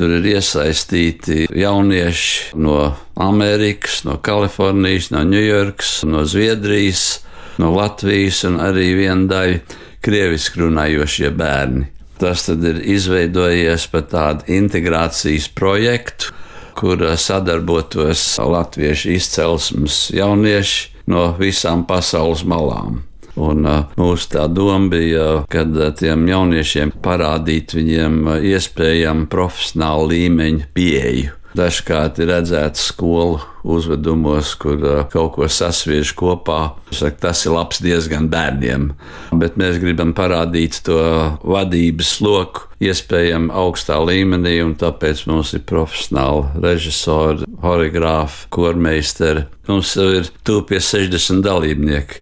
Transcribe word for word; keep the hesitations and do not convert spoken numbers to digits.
Tur ir iesaistīti jaunieši no Amerikas, no Kalifornijas, no Ņujorkas, no Zviedrijas, no Latvijas un arī viena daļa krieviski runājošie bērni. Tas tad ir izveidojies par tādu integrācijas projektu, kur sadarbotos latviešu izcelsmes jaunieši no visām pasaules malām. Un uh, mūsu tā doma bija, kad uh, tiem jauniešiem parādīt viņiem uh, iespējami profesionālu līmeņu pieeju. Dažkārt ir redzēts skolu uzvedumos, kur uh, kaut ko sasviež kopā. Saka, tas ir labs diezgan bērniem, bet mēs gribam parādīt to vadības loku iespējami augstā līmenī, un tāpēc mums ir profesionāli režisori, horeogrāfi, kormeisteri. Mums ir tuvu pie sešdesmit dalībnieki.